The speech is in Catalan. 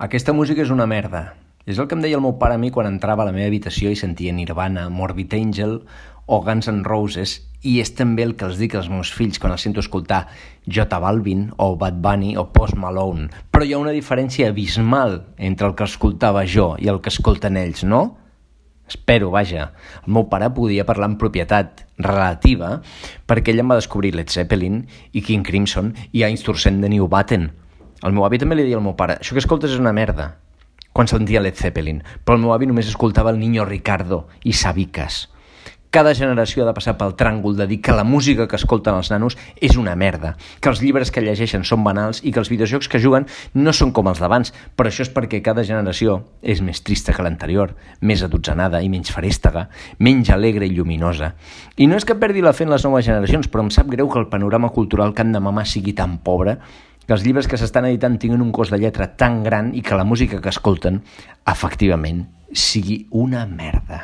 Aquesta música és una merda. És el que em deia el meu pare a mi quan entrava a la meva habitació i sentia Nirvana, Morbid Angel o Guns N' Roses, i és també el que els dic als meus fills quan els sento escoltar J Balvin o Bad Bunny o Post Malone. Però hi ha una diferència abismal entre el que escoltava jo i el que escolten ells, no? Espero, vaja. El meu pare podia parlar amb propietat relativa perquè ell em va descobrir Led Zeppelin i King Crimson i Einstürzen de New Batten. El meu avi també li deia al meu pare, això que escoltes és una merda, quan sentia Led Zeppelin, però el meu avi només escoltava el Niño Ricardo i Sabicas. Cada generació ha de passar pel tràngol de dir que la música que escolten els nanos és una merda, que els llibres que llegeixen són banals i que els videojocs que juguen no són com els d'abans, però això és perquè cada generació és més trista que l'anterior, més adotzenada i menys ferèstega, menys alegre i lluminosa. I no és que perdi la fe en les noves generacions, però em sap greu que el panorama cultural que han de mamar sigui tan pobre, que els llibres que s'estan editant tinguin un cost de lletra tan gran i que la música que escolten, efectivament, sigui una merda.